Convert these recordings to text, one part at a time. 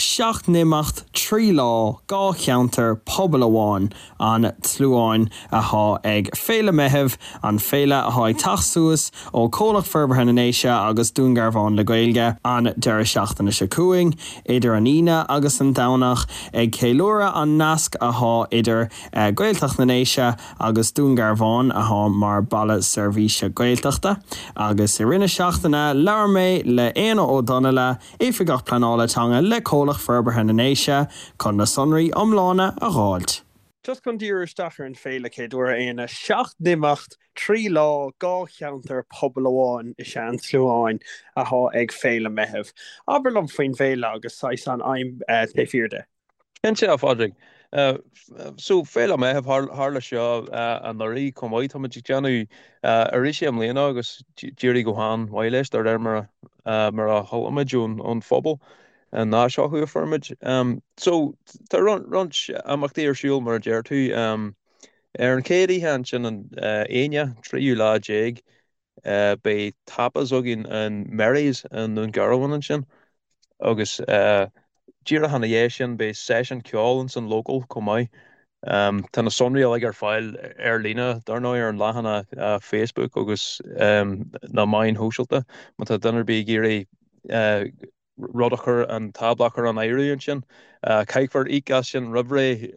7 n-imeacht, 3 lá, 2 cheantar, pobal amháin, an tSluáin athá ag Féile Meitheamh, an féile athá ag teacht suas ó Comhlucht Forbartha na nDéise agus Dún Garbhán le Gaeilge, an deireadh seachtaine seo chugainn, idir an Aoine agus an Domhnach, ag ceiliúradh an nasc athá idir Gaeltacht na nDéise agus Dún Garbhán athá mar baile seirbhíse Gaeltachta. Agus i rith na seachtaine labhair mé le Éanna Ó Donnaile, Oifigeach Pleanála Teanga le Comhlucht Forbartha na nDéise, chun na sonraí iomlána a dh'fháilt. Just chun díriú isteach ar an féile céaduaire, a Éanna, 7 n-imeacht, 3 lá, 2 cheantar, pobal amháin is ea an tSluáin athá ag Féile Meitheamh. Abair liom faoin bhféile agus saghas an aidhm taobh thiar de. Cinnte, a Phádraig. So, Féile Meitheamh, tharla seo anuraidh chomh maith. Táimid ag déanamh arís é i mbliana agus d'éirigh go han-mhaith leis de réir mar a chuala muid ón phobal, an áis acu a fuair muid. So, tá roinnt imeachtaí ar siúl mar a deir tú. Ar an chéad oíche ansin, an Aoine, 13ú lá, Beidh tapas againn in Mary's i nDún Garbhán ansin agus díreach ina dhiaidh sin beidh seisiún ceoil ins an Local chomh maith. Tá na sonraí uilig ar fáil ar líne dar ndóigh ar an leathanach Facebook agus na meáin shóisialta má tá duine ar bith ag iarraidh rud a chur, an tábla a chur in áirithe ansin. Caithfear íoc as sin roimh ré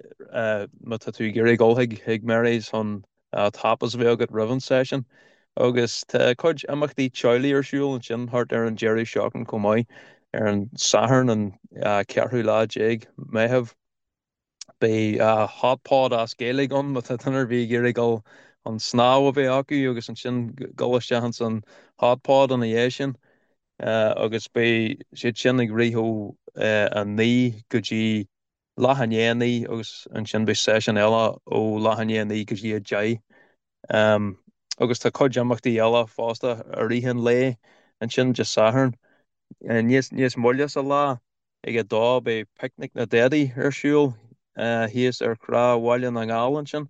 má tá tú ag iarraidh dul chuig Mary's chun tapas a bheith agat roimh an seisiún. Agus tá cuid imeachtaí teaghlaigh ar siúl ansin thart ar an deireadh seachtaine chomh maith, ar an Satharn an ceathrú lá déag Meitheamh. Beidh hot pot as Gaeilge ann má tá duine ar bith ag iarraidh dul chun snámh a bheith acu agus ansin dul isteach ins an hot pot ina dhiaidh sin. Agus beidh siad sin ag rith ó 9 go dtí leath i ndiaidh 9 agus ansin beidh seisiún eile ó leath i ndiaidh 9 go dtí 10. Agus tá cuid imeachtaí eile fosta i rith an lae ansin Dé Sathairn. Níos moille sa lá Ag a dó beidh Picnic na nDaidí ar siúl thíos ar Thrá Bhaile na nGall ansin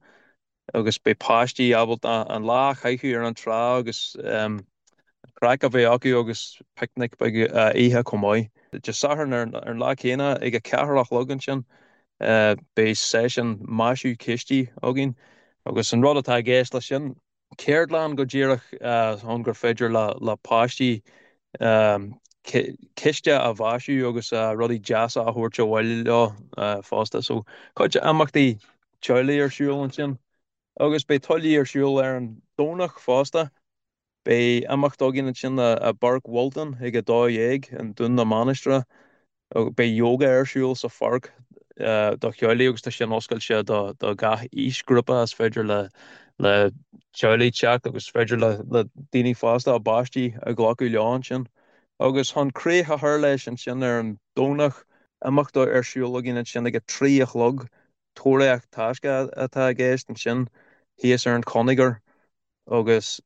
agus beidh páistí ábalta an lá a chaitheamh ar an trá agus craic a bheith acu agus picnic beag a ithe chomh maith. Dé Sathairn ar an lá céanna ag a ceathair a chlog ansin beidh seisiún maisiú cistí againn agus an rud atá i gceist leis sin ceardlann go díreach ann gur féidir le páistí ciste a mhaisiú agus rudaí deasa a thabhairt abhaile leo fosta. So cuid imeachtaí teaghlaigh ar siúl ansin agus beidh tuilleadh ar siúl ar an Domhnach fosta. Beidh imeacht againn ansin i bPáirc Wilton ag 12:00 i nDún na Mainistreach. Beidh yoga ar siúl sa pháirc do theaghlaigh agus tá sin oscailte do gach aoisghrúpa. Is féidir le teaghlaigh teacht agus is féidir le daoine fásta a bpáistí a ghlacadh leo ansin. Agus chun críoch a chur leis ansin ar an Domhnach, imeacht ar siúl againn ansin ag a 3 a chlog, tóraíocht taisce atá i gceist ansin thíos ar an Chonagair agus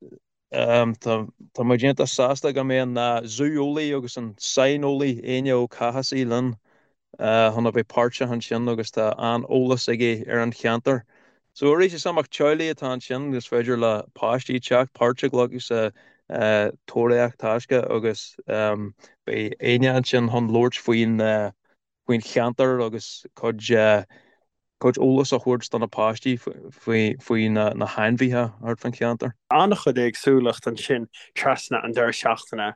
Tá muid iontach sásta go mbeidh an zú-eolaí agus an saineolaí Éanna Ó Cathasaigh linn chun a bheith páirteach ansin agus tá an-eolas aige ar an cheantar. So arís is imeacht teaghlaigh atá ansin is féidir le páistí teacht, páirt a ghlacadh sa tóraíocht taisce agus beidh Éanna ansin chun labhairt faoin faoin cheantar agus cuid cuid eolas a thabhairt do na páistí faoi faoi na na hainmhithe thart fán cheantar. An-chuid éagsúlacht ansin trasna an deireadh seachtaine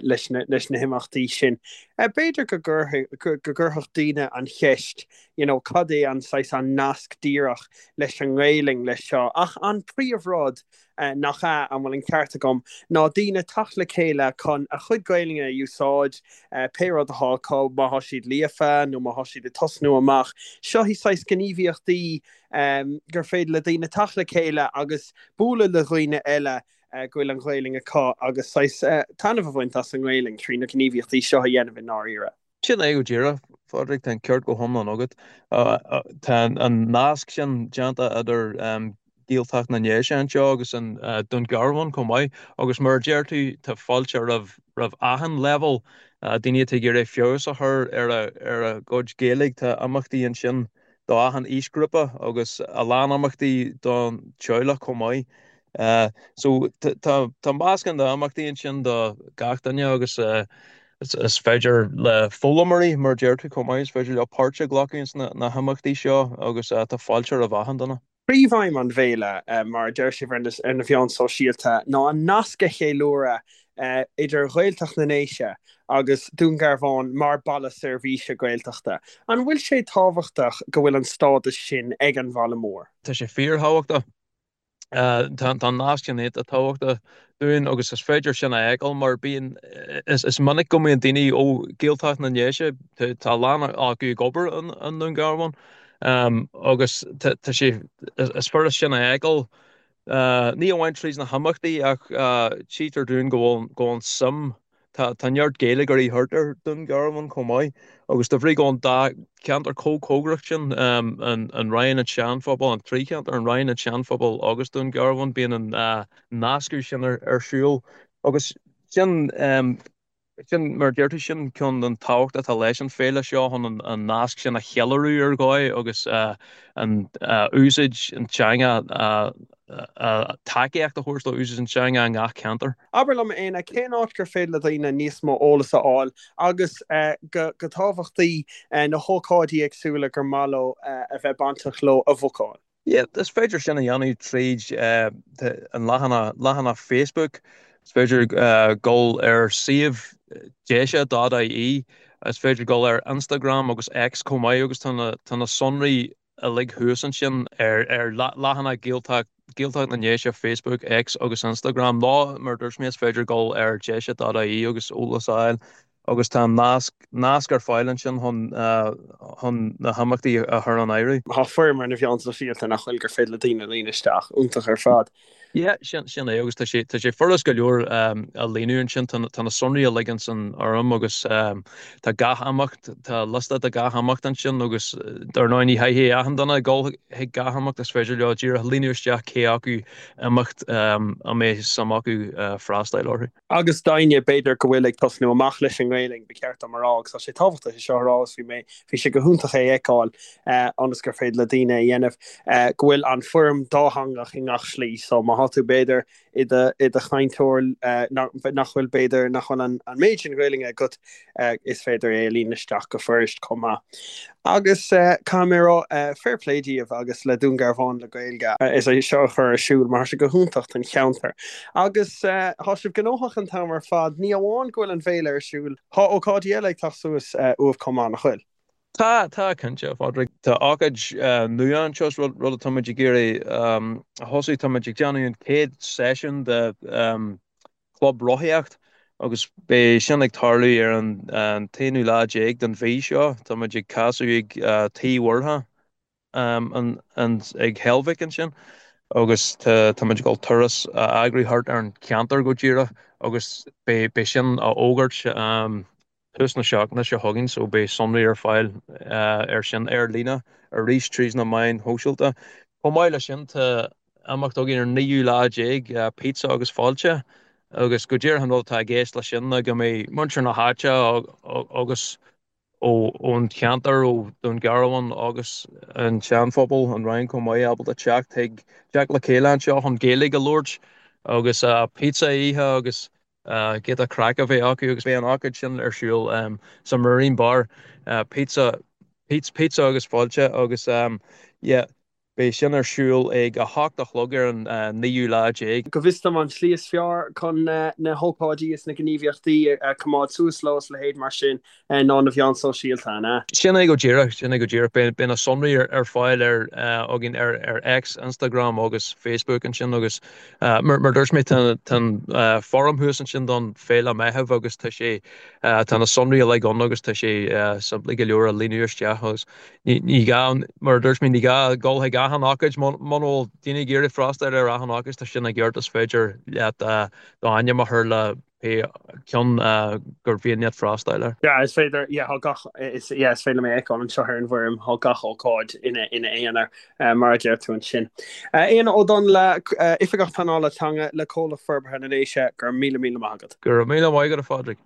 leis na leis na himeachtaí sin. B'fhéidir go gcuirfeadh go gcuirfeadh daoine an cheist you know cad é an saghas an nasc díreach leis an nGaelainn leis seo ach an príomhrud nach ea, an bhfuil an ceart agam, ná daoine teacht le chéile chun a chuid Gaelainne a úsáid, pé rud atá acu, má thá siad líofa nó má thá siad ag tosnú amach. Seo í saghas gníomhaíochtaí gur féidir le daoine teacht le chéile agus bualadh le dhaoine eile go bhfuil an Ghaelainn acu agus saghas taitneamh a bhaint as an nGaelainn trí na gníomhaíochtaí seo a dhéanamh i ndáiríre. Sin é go díreach, a Phádraig, tá an ceart go hiomlán agat. Tá an nasc sin déanta idir Gaeltacht na nDéise anseo agus an Dún Garbhán chomh maith agus mar a deir tú, tá fáilte roimh roimh achan leibhéal, daoine atá ag iarraidh feabhas a chur ar a gcuid Gaeilge, tá imeachtaí ansin do achan aoisghrúpa agus a lán imeachtaí don teaghlach chomh maith. So tá meascán d'imeachtaí ansin do gach duine agus. Is féidir le foghlaimeoirí, mar a deir tú chomh maith, is féidir leo páirt a ghlacadh ins na himeachtaí seo agus tá fáilte roimh achan duine. Príomhaidhm an bhféile, mar a deir sibh ar na mheáin sóisialta, ná an nasc a cheiliúradh idir Ghaeltacht na nDéise agus Dún Garbhán mar baile seirbhíse Gaeltachta. An bhfuil sé tábhachtach go bhfuil an stádas sin ag an bhaile mór? Tá sé fíorthábhachtach. Tá an nasc sin iontach tábhachtach dúinn agus is féidir sin a fheiceáil mar bíonn, is minic go mbíonn daoine ó Ghaeltacht na nDéise, tá a lán acu ag obair i nDún Garbhán agus tá sé, is furast sin a fheiceáil, ní amháin tríd na himeachtaí ach tchítear dúinn go bhfuil, go bhfuil an suim Tá neart Gaeilgeoirí thart ar Dún Garbhán chomh maith agus de bhrí go bhfuil an dá cheantar chomh cóngarach sin, an Rinn, an Seanphobal, an trí cheantar, an Rinn, an Seanphobal agus Dún Garbhán, bíonn an nascadh sin ar siúl agus sin, sin mar a deir tú, sin ceann den tábhacht atá leis an féile seo chun an nasc sin a cheiliúradh ar dhóigh agus an úsáid an teanga a tacaíocht a thabhairt do úsáid an teanga i ngach ceantar. Abair liom, a Éanna, cén áit gur féidir le daoine níos mó eolas a fháil agus, go tábhachtaí, na hócáidí éagsúla gur maith leo a bheith bainteach leo a bhucáil? Yeah, is féidir sin a dhéanamh tríd an leathanach, leathanach Facebook. Is féidir dul ar suíomh deise.ie. Is féidir dul ar Instagram agus X chomh maith agus tá na, tá na sonraí uilig thuas ansin ar leathanach Gaeltacht, Gaeltacht na nDéise, Facebook, X agus Instagram nó mar a dúirt mé is féidir dul ar deise.ie agus eolas a fháil agus tá nasc, nasc ar fáil ansin chun, chun na himeachtaí a chur in áirithe. Tá foirm ar na mheáin sóisialta nach bhfuil gur féidir le daoine líonadh isteach. Iontach ar fad. Yeah, sin, sin é agus tá sé, tá sé furast go leor a líonadh ansin, tá, tá na sonraí uilig ins an fhoirm agus tá gach imeacht, tá liosta de gach imeacht ansin agus dar ndóigh ní chaithfidh achan duine dul chuig gach imeacht, is féidir leo díreach líonadh isteach cé acu imeacht a mbeidh suim acu freastáil orthu. Agus d'éinne, b'fhéidir, go bhfuil ag tosnú amach leis an nGaelainn, ba cheart dom a rá, agus tá sé tábhachtach é seo a rá, agus bhí mé, bhí sé go hiontach é a fheiceáil, ionas gur féidir le daoine a dhéanamh, go bhfuil an foirm dátheangach i ngach slí. So má thá tú, b'fhéidir, i do, i do chainteoir nach, nach bhfuil, b'fhéidir, nach bhfuil an, an méid sin Gaelainne agat, is féidir é a líonadh isteach go fuirist chomh maith. Agus caithfidh mé a rá, fair play díobh agus le Dún Garbhán le Gaeilge as é seo a chur ar siúl mar tá sé go hiontach don cheantar. Agus tá sibh gnóthach an t-am ar fad, ní amháin go bhfuil an bhféile ar siúl, tá ócáidí eile ag teacht suas uaibh chomh maith, nach bhfuil? Tá, tá, cinnte, a Phádraig. Tá ócáid nua anseo, rud atáimid ag iarraidh a thosú. Táimid ag déanamh an chéad seisiún de Club Rothaíocht agus beidh sin ag tarlú ar an t-aonú lá déag den mhí seo. Táimid ag casadh ag Tigh Mhurchadh ag Heilbhic ansin agus táimid ag dul turas a eagrú thart ar an cheantar go díreach agus beidh sin á fhógairt tús na seachtaine seo chugainn so beidh sonraí ar fáil ar sin ar líne arís tríd na meáin shóisialta. Chomh maith leis sin tá imeacht againn ar an naoú lá déag, Pizza agus Fáilte agus go díreach an rud atá i gceist leis sin ná go mbeidh muintir na háite agus ón cheantar, ó Dún Garbhán agus an tSeanphobal, an Rinn chomh maith, ábalta teacht chuig, teacht le chéile anseo chun Gaeilge a labhairt agus pizza a ithe agus giota craic a bheith acu agus beidh an ócáid sin ar siúl sa Marine Bar, pizza, pizza agus fáilte agus yeah beidh sin ar siúl ag 8 a chlog ar an naoú lá déag. Go bhfios dom an tslí is fearr chun na hócáidí is na gníomhaíochtaí a choimeád suas leo is a leithéid mar sin ná na mheáin sóisialta, an ea? Sin é go díreach, sin é go díreach. Beidh na sonraí ar fáil ar againn ar X, Instagram agus Facebook ansin agus mar a dúirt mé tá an foirm thuas ansin don Féile Meitheamh agus tá sé tá na sonraí uilig ann agus tá sé simplí go leor a líonadh isteach agus ní gá mar a dúirt mé ní gá dul chuig achan ócáid muna bhfuil daoine ag iarraidh freastal ar achan ócáid tá sin i gceart is féidir leat d'ainm a chur le pé ceann gur mhian leat freastal air. Yeah, is féidir, yeah, tá gach, is, yeah, is féidir liom é a fheiceáil anseo ar an bhfoirm, tá gach ócáid ina, ina aonar, mar a deir tú ansin. Éanna Ó Donnaile, Oifigeach Pleanála Teanga le Comhlacht Forbartha na nDéise, go raibh míle míle maith agat. Go raibh míle maith agat, a Phádraig.